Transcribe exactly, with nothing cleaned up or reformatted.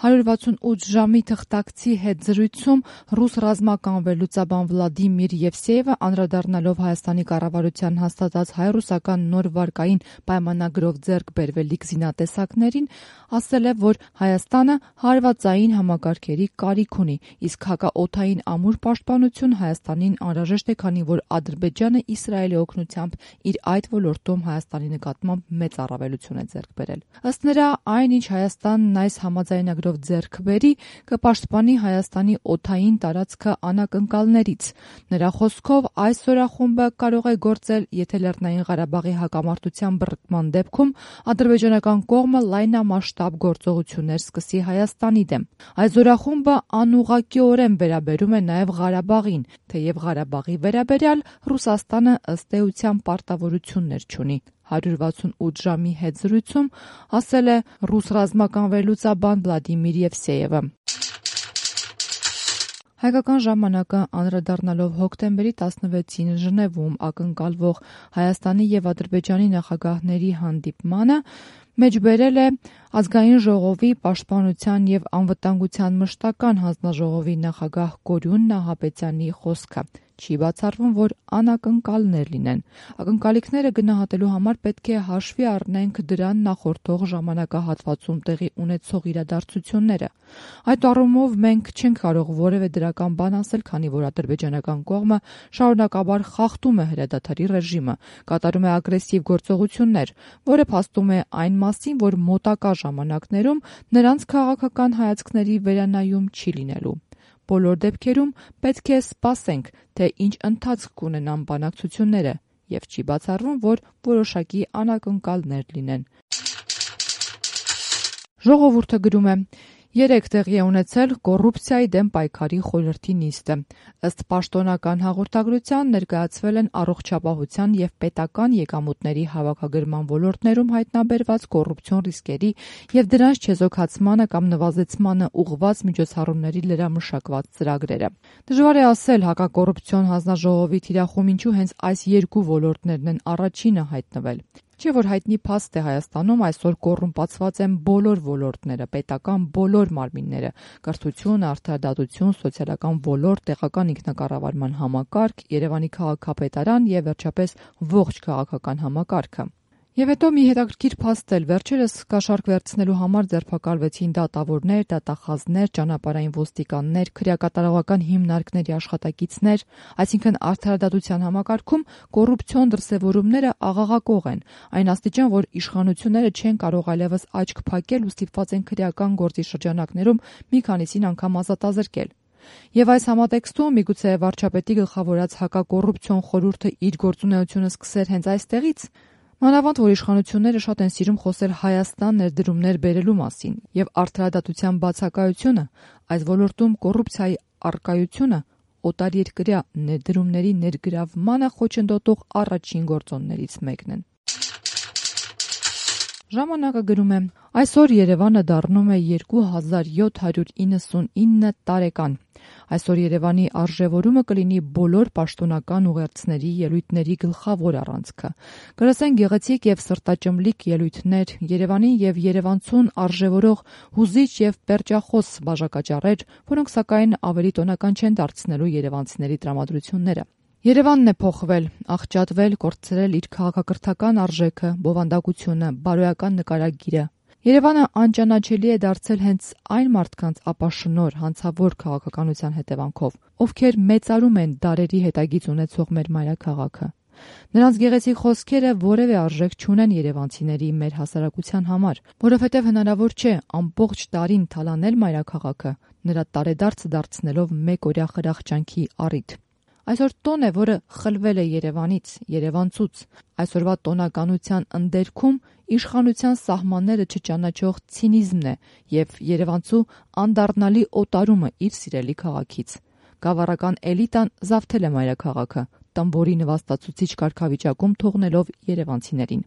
հարյուր վաթսունութ ժամի թղթակցի հետ զրույցում ռուս ռազմական վերլուծաբան Վլադիմիր Եվսեևը անդրադառնալով Հայաստանի կառավարության հաստատած հայ-ռուսական նոր վարկային պայմանագրով ձեռք բերվելիք զինատեսակներին ասել է, որ Հայաստանը հարվածային համակարգերի կարիք ունի, իսկ հակաօդային ամուր պաշտպանություն Հայաստանին անհրաժեշտ է, քանի որ Ադրբեջանը Իսրայելի օգնությամբ իր այդ ոլորտում Հայաստանի նկատմամբ մեծ առավելություն է ձեռք բերել։ Ըստ նրա, այն ինչ Հայաստանն այս համաձայնագրով ձեռք բերի, կպաշտպանի Հայաստանի օդային տարածքը անակնկալներից։ Նրա խոսքով, այս զորախումբը կարող է գործել, եթե Լեռնային Ղարաբաղի հակամարտության բռնկման դեպքում ադրբեջանական կողմը լայնամասշտաբ գործողություններ սկսի Հայաստանի դեմ։ Այս զորախումբը անուղղակիորեն վերաբերում է նաև Ղարաբաղին, թեև Ղարաբաղի վերաբերյալ Ռուսաստանը ըստ էության պարտավորություններ չունի։ հարյուր վաթսունութ ժամի հետ զրույցում ասել է ռուս ռազմական վերլուծաբան Վլադիմիր Եվսեևը։ Հայկական ժամանակը անդրադառնալով հոկտեմբերի տասնվեցին Ժնևում ակնկալվող Հայաստանի եւ Ադրբեջանի նախագահների հանդիպմանը մեջբերել է Ազգային ժողովի պաշտպանության եւ անվտանգության մշտական հանձնաժողովի նախագահ Կորյուն Նահապետյանի խոսքը։ Չի բացառվում, որ անակնկալներ լինեն։ Ակնկալիքները գնահատելու համար պետք է հաշվի առնենք դրան նախորդող ժամանակահատվածում տեղի ունեցող իրադարձությունները։ Այդ առումով մենք չենք կարող որևէ դրական բան ասել, քանի որ ադրբեջանական կողմը շարունակաբար խախտում է հրադադարի ռեժիմը, կատարում է ագրեսիվ գործողություններ, որը փաստում է այն մասին, որ մոտակա ժամանակներում նրանց քաղաքական հայացքների վերանայում չի լինելու։ Բոլոր դեպքերում պետք է սպասենք, թե ինչ ընթացք կունենան բանակցությունները, եւ չի բացառվում, որ որոշակի անակնկալներ լինեն։ Ժողովուրդը գրում է. Երեկ տեղի է ունեցել կոռուպցիայի դեմ պայքարի խորհրդի նիստը։ Ըստ պաշտոնական հաղորդագրության ներկայացվել են առողջապահության եւ պետական եկամուտների հավաքագրման ոլորտներում հայտնաբերված կոռուպցիոն ռիսկերի եւ դրանց չեզոքացմանը կամ նվազեցմանը ուղղված միջոցառումների լրամշակված ծրագրերը։ Դժվար է ասել հակակոռուպցիոն հանձնաժողովի թիրախում ինչու հենց այս երկու ոլորտներն են առաջինը հայտնվել։ Չէ՞ որ հայտնի փաստ է Հայաստանում այսօր կոռումպացված են բոլոր ոլորտները, պետական բոլոր մարմինները՝ կրթություն, արդարադատություն, սոցիալական ոլորտ, տեղական ինքնակառավարման համակարգ, Երևանի քաղաքապետարան եւ վերջապես ողջ քաղաքական համակարգը։ Եվ հետո մի հետաքրքիր փաստ էլ վերջերս կաշառք վերցնելու համար ձերբակալվեցին դատավորներ, դատախազներ, ճանապարհային ոստիկաններ, քրեակատարողական հիմնարկների աշխատակիցներ, այսինքն արդարադատության համակարգում կոռուպցիոն դրսևորումները աղաղակող են, այն աստիճան, որ իշխանությունները չեն կարող այլևս աչք փակել ու ստիպված են քրեական գործի շրջանակներում մի քանիսին անգամ ազատազրկել։ Եվ այս համատեքստում միգուցե վարչապետի գլխավորած հակակոռուպցիոն խորհուրդը իր գործունեությունը սկսեր հենց այստեղից։ Մանավանդ, որ իշխանությունները շատ են սիրում խոսել Հայաստան ներդրումներ բերելու մասին, եւ արդարադատության բացակայությունը, այս ոլորտում կոռուպցիայի առկայությունը օտարերկրյա ներդրումների ներգրավմանը խոչընդոտող առաջին գործոններից մեկն են։ Ժամանակը գրում է. այսօր Երևանը դառնում է երկու հազար յոթ հարյուր իննսունինը տարեկան։ Այսօր Երևանի արժևորումը կլինի բոլոր պաշտոնական ուղերձների ելույթների գլխավոր առանցքը։ Կլսեն գեղեցիկ եւ սրտաճմլիկ ելույթներ, Երևանին եւ երևանցուն արժևորող հուզիչ եւ պերճախոս բաժակաճառեր, որոնք սակայն ավելի տոնական չեն դարձնելու երևանցիների տրամադրությունները։ Երևանն է փոխվել, աղճատվել, կորցրել իր քաղաքակրթական արժեքը, բովանդակությունը, բարոյական նկարագիրը։ Երևանը անճանաչելի է դարձել հենց այն մարդկանց ապաշնոր, հանցավոր քաղաքականության հետևանքով, ովքեր մեծարում են դարերի հետագիծ ունեցող մեր մայրաքաղաքը։ Նրանց գեղեցիկ խոսքերը որևէ արժեք չունեն երևանցիների մեր հասարակության համար, որովհետև հնարավոր չէ ամբողջ տարին թալանել մայրաքաղաքը, նրա տարեդարձը դարձնելով մեկօրյա խրախճանքի առիթ։ Այսօր տոն է, որը խլվել է Երևանից, երևանցուց։ Այսօրվա տոնականության ընդերքում իշխանության սահմանները չճանաչող ցինիզմն է եւ երևանցու անդառնալի օտարումը իր սիրելի քաղաքից։ Գավառական էլիտան զավթել է մայրաքաղաքը, տմբորի նվաստացուցիչ կարգավիճակում թողնելով երևանցիներին։